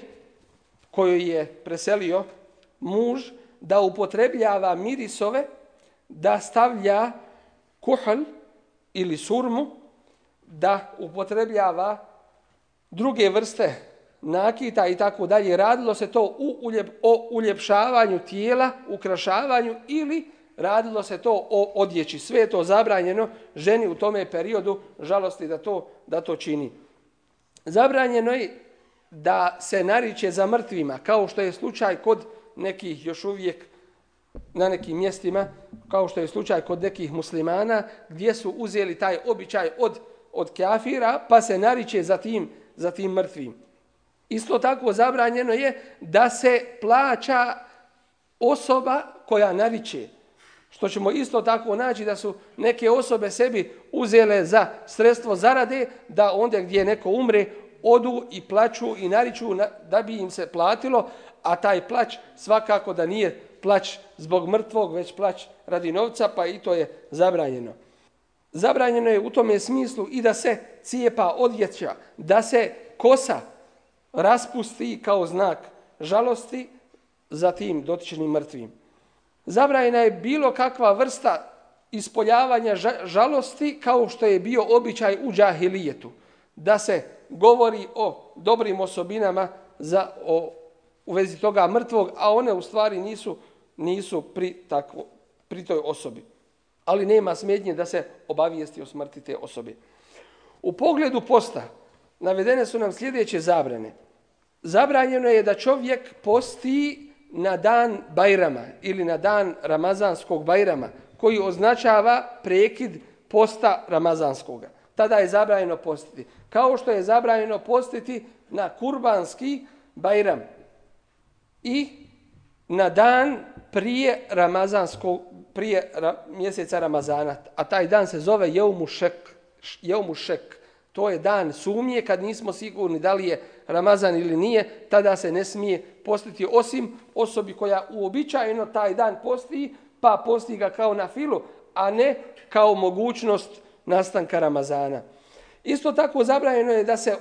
koju je preselio muž da upotrebljava mirisove, da stavlja kuhl ili surmu, da upotrebljava druge vrste nakita i tako dalje. Radilo se to o uljepšavanju tijela, ukrašavanju ili radilo se to o odjeći. Sve je to zabranjeno ženi u tome periodu žalosti da to čini. Zabranjeno je da se nariče za mrtvima, kao što je slučaj kod nekih još uvijek na nekim mjestima, kao što je slučaj kod nekih muslimana, gdje su uzeli taj običaj od kafira, pa se nariče za tim mrtvim. Isto tako zabranjeno je da se plaća osoba koja nariče. Što ćemo isto tako naći da su neke osobe sebi uzele za sredstvo zarade, da onda gdje neko umre, odu i plaću i nariču da bi im se platilo, a taj plać svakako da nije plać zbog mrtvog, već plać radi novca, pa i to je zabranjeno. Zabranjeno je u tome smislu i da se cijepa odjeća, da se kosa raspusti kao znak žalosti za tim dotičnim mrtvim. Zabranjena je bilo kakva vrsta ispoljavanja žalosti kao što je bio običaj u džahilijetu, da se govori o dobrim osobinama u vezi toga mrtvog, a one u stvari nisu pri toj osobi. Ali nema smetnje da se obavijesti o smrti te osobe. U pogledu posta navedene su nam sljedeće zabrane. Zabranjeno je da čovjek posti na dan Bajrama ili na dan Ramazanskog Bajrama, koji označava prekid posta Ramazanskoga. Tada je zabranjeno postiti. Kao što je zabranjeno postiti na Kurbanski Bajram i na dan prije mjeseca Ramazana. A taj dan se zove Jeumu Šek. To je dan sumnje, kad nismo sigurni da li je Ramazan ili nije, tada se ne smije postiti, osim osobi koja uobičajeno taj dan posti, pa posti ga kao na filu, a ne kao mogućnost nastanka Ramazana. Isto tako zabranjeno je da se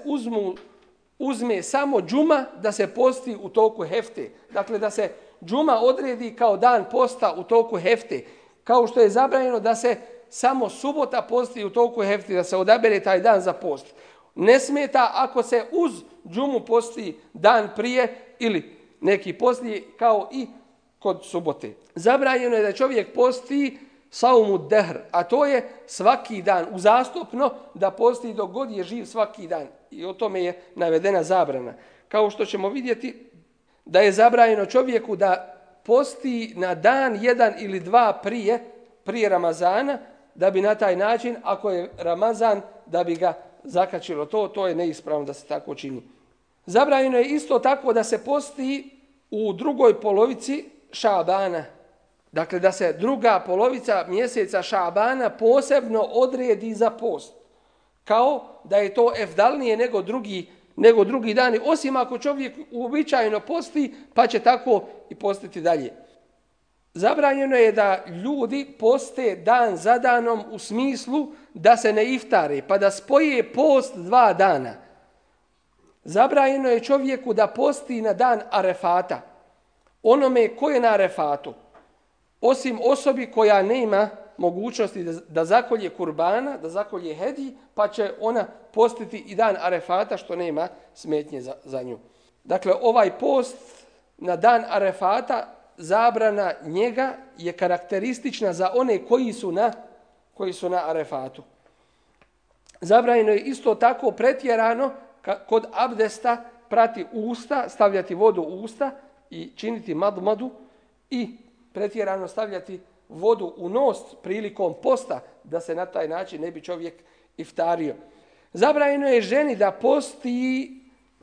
uzme samo džuma, da se posti u toku hefte. Dakle, da se džuma odredi kao dan posta u toku hefte. Kao što je zabranjeno da se samo subota posti u toku hefte, da se odabere taj dan za post. Ne smeta ako se uz džumu posti dan prije ili neki poslije, kao i kod subote. Zabranjeno je da čovjek posti saumu dehr, a to je svaki dan, uzastopno da posti dok god je živ svaki dan. I o tome je navedena zabrana. Kao što ćemo vidjeti da je zabranjeno čovjeku da posti na dan 1 ili 2 prije Ramazana, da bi na taj način, ako je Ramazan, da bi ga zakačilo. To je neispravno da se tako čini. Zabranjeno je isto tako da se posti u drugoj polovici Šabana. Dakle, da se druga polovica mjeseca Šabana posebno odredi za post. Kao da je to efdalnije nego drugi dani, osim ako čovjek uobičajeno posti, pa će tako i postiti dalje. Zabranjeno je da ljudi poste dan za danom u smislu da se ne iftare, pa da spoje post 2 dana. Zabranjeno je čovjeku da posti na dan Arefata, onome ko je na Arefatu, osim osobi koja nema mogućnosti da zakolje kurbana, da zakolje hedij, pa će ona postiti i dan Arefata, što nema smetnje za nju. Dakle, ovaj post na dan Arefata, zabrana njega je karakteristična za one koji su na Arefatu. Zabranjeno je isto tako pretjerano kod abdesta prati usta, stavljati vodu u usta i činiti madmadu, i pretjerano stavljati vodu u nos prilikom posta, da se na taj način ne bi čovjek iftario. Zabranjeno je ženi da posti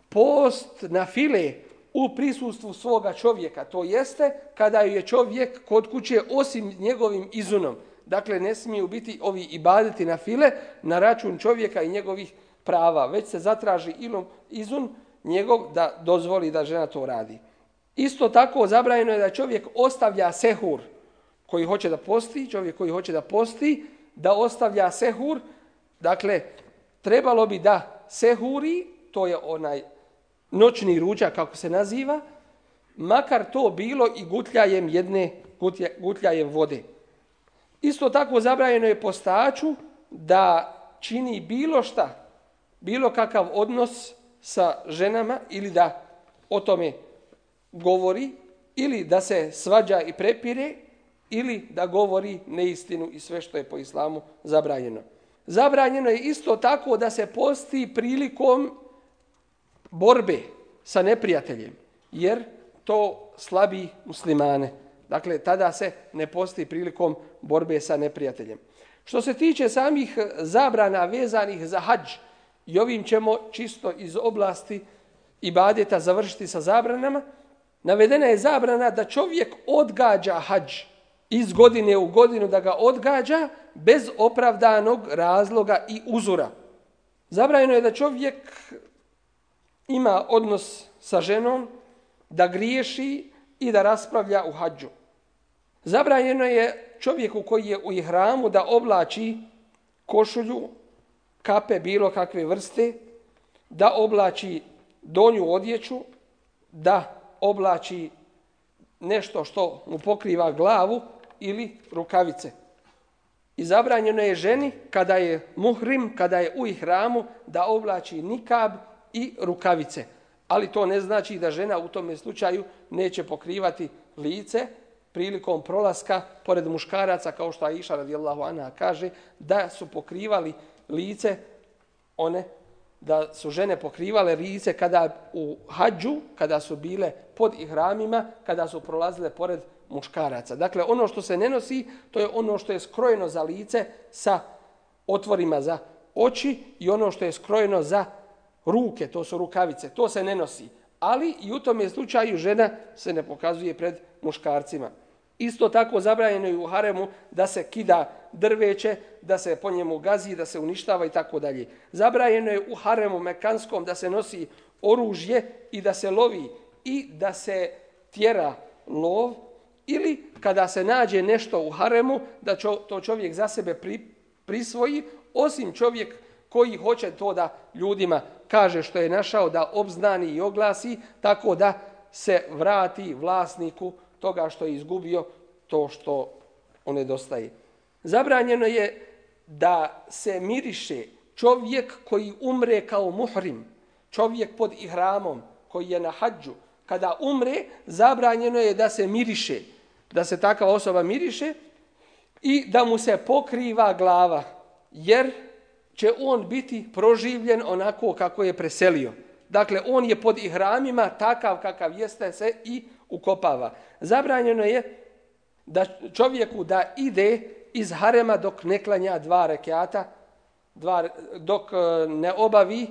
post na file, u prisustvu svoga čovjeka. To jeste kada je čovjek kod kuće osim njegovim izunom. Dakle, ne smiju biti ovi ibadeti na file na račun čovjeka i njegovih prava, već se zatraži izun njegov da dozvoli da žena to radi. Isto tako zabranjeno je da čovjek ostavlja sehur koji hoće da posti, čovjek koji hoće da posti, da ostavlja sehur. Dakle, trebalo bi da sehuri, to je onaj noćni ručak kako se naziva, makar to bilo i gutljajem vode. Isto tako zabranjeno je postaču da čini bilo šta, bilo kakav odnos sa ženama ili da o tome govori ili da se svađa i prepire ili da govori neistinu i sve što je po islamu zabranjeno. Zabranjeno je isto tako da se posti prilikom borbe sa neprijateljem, jer to slabi muslimane. Dakle, tada se ne posti prilikom borbe sa neprijateljem. Što se tiče samih zabrana vezanih za hadž, i ovim ćemo čisto iz oblasti ibadeta završiti sa zabranama, navedena je zabrana da čovjek odgađa hadž iz godine u godinu, da ga odgađa bez opravdanog razloga i uzora. Zabranjeno je da čovjek ima odnos sa ženom, da griješi i da raspravlja u hadžu. Zabranjeno je čovjeku koji je u ihramu da oblači košulju, kape bilo kakve vrste, da oblači donju odjeću, da oblači nešto što mu pokriva glavu ili rukavice. I zabranjeno je ženi kada je muhrim, kada je u ihramu, da oblači nikab i rukavice. Ali to ne znači da žena u tome slučaju neće pokrivati lice prilikom prolaska pored muškaraca, kao što Aisha radijallahu anha kaže, da su pokrivali lice da su žene pokrivale lice kada u hadžu, kada su bile pod ihramima, kada su prolazile pored muškaraca. Dakle, ono što se ne nosi, to je ono što je skrojeno za lice sa otvorima za oči i ono što je skrojeno za ruke, to su rukavice, to se ne nosi. Ali i u tom slučaju žena se ne pokazuje pred muškarcima. Isto tako zabranjeno je u haremu da se kida drveće, da se po njemu gazi, da se uništava i tako dalje. Zabranjeno je u haremu mekanskom da se nosi oružje i da se lovi i da se tjera lov, ili kada se nađe nešto u haremu da to čovjek za sebe prisvoji, osim čovjek koji hoće to da ljudima kaže što je našao, da obznani i oglasi, tako da se vrati vlasniku toga što je izgubio, to što on nedostaje. Zabranjeno je da se miriše čovjek koji umre kao muhrim, čovjek pod ihramom koji je na hadžu. Kada umre, zabranjeno je da se miriše, da se takva osoba miriše i da mu se pokriva glava, jer će on biti proživljen onako kako je preselio. Dakle, on je pod ihramima, takav kakav jeste, se i ukopava. Zabranjeno je da čovjeku da ide iz harema dok ne klanja 2 rekata, dok ne obavi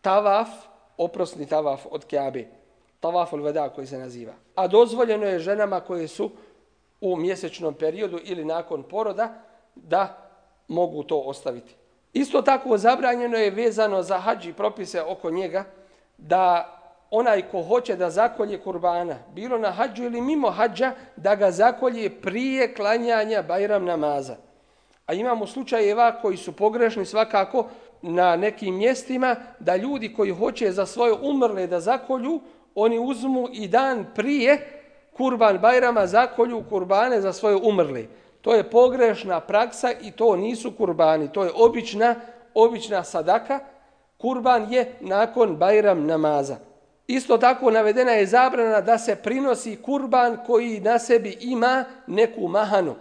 tavaf, oprosni tavaf od Kjabe, tavaful veda koji se naziva. A dozvoljeno je ženama koje su u mjesečnom periodu ili nakon poroda da mogu to ostaviti. Isto tako zabranjeno je vezano za hadž i propise oko njega da onaj ko hoće da zakolje kurbana, bilo na hadžu ili mimo hadža, da ga zakolje prije klanjanja Bajram namaza. A imamo slučajeva koji su pogrešni svakako na nekim mjestima, da ljudi koji hoće za svoje umrle da zakolju, oni uzmu i dan prije Kurban Bajrama zakolju kurbane za svoje umrle. To je pogrešna praksa i to nisu kurbani, to je obična sadaka. Kurban je nakon Bajram namaza. Isto tako navedena je zabrana da se prinosi kurban koji na sebi ima neku mahanu.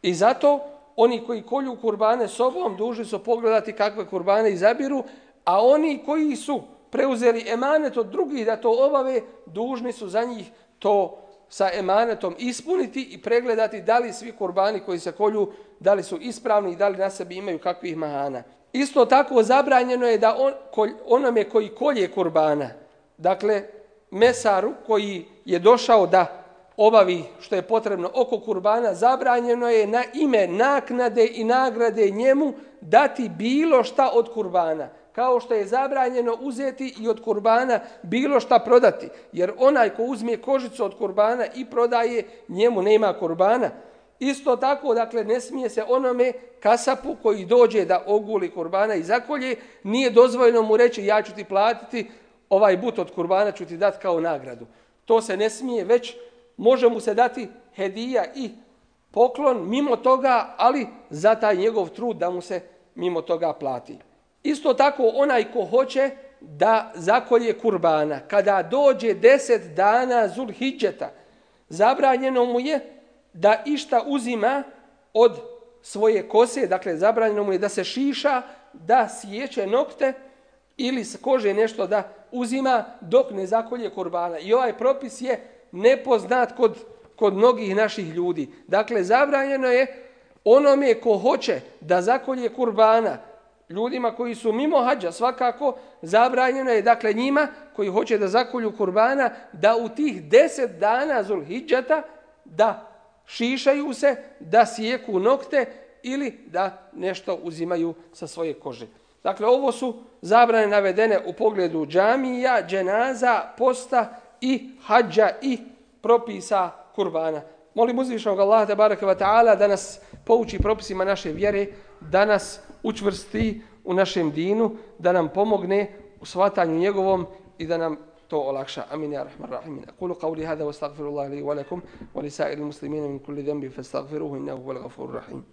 I zato oni koji kolju kurbane sobom dužni su pogledati kakve kurbane izabiru, a oni koji su preuzeli emanet od drugih da to obave, dužni su za njih to sa emanetom ispuniti i pregledati da li svi kurbani koji se kolju, da li su ispravni i da li na sebi imaju kakvih mahana. Isto tako zabranjeno je da onome koji kolje kurbana, dakle mesaru koji je došao da obavi što je potrebno oko kurbana, zabranjeno je na ime naknade i nagrade njemu dati bilo šta od kurbana. Kao što je zabranjeno uzeti i od kurbana bilo šta prodati. Jer onaj ko uzme kožicu od kurbana i prodaje, njemu nema kurbana. Isto tako, dakle, ne smije se onome kasapu koji dođe da oguli kurbana i zakolje, nije dozvoljeno mu reći ja ću ti platiti, ovaj but od kurbana ću ti dati kao nagradu. To se ne smije, već može mu se dati hedija i poklon mimo toga, ali za taj njegov trud da mu se mimo toga plati. Isto tako onaj ko hoće da zakolje kurbana, kada dođe 10 dana Zulhidžeta, zabranjeno mu je da išta uzima od svoje kose, dakle zabranjeno mu je da se šiša, da sjeće nokte ili s kože nešto da uzima dok ne zakolje kurbana. I ovaj propis je nepoznat kod mnogih naših ljudi. Dakle, zabranjeno je onome ko hoće da zakolje kurbana, ljudima koji su mimo hađa svakako, zabranjeno je, dakle, njima koji hoće da zakolju kurbana, da u tih 10 dana Zulhidžeta da šišaju se, da sjeku nokte ili da nešto uzimaju sa svoje kože. Dakle, ovo su zabrane navedene u pogledu džamija, dženaza, posta i hađa i propisa kurbana. Molim uzvišenog Allaha tebareke ve taala da nas pouči propisima naše vjere, da nas učvrsti u našem dinu, da nam pomogne u shvatanju njegovom i da nam to olakša. Amin ya rahman rahim. Aqulu qawli hada wa astaghfirullaha li wa lakum wa li sa'iril muslimina min kulli dhanbin fastaghfiruhu innahu huwal ghafurur rahim.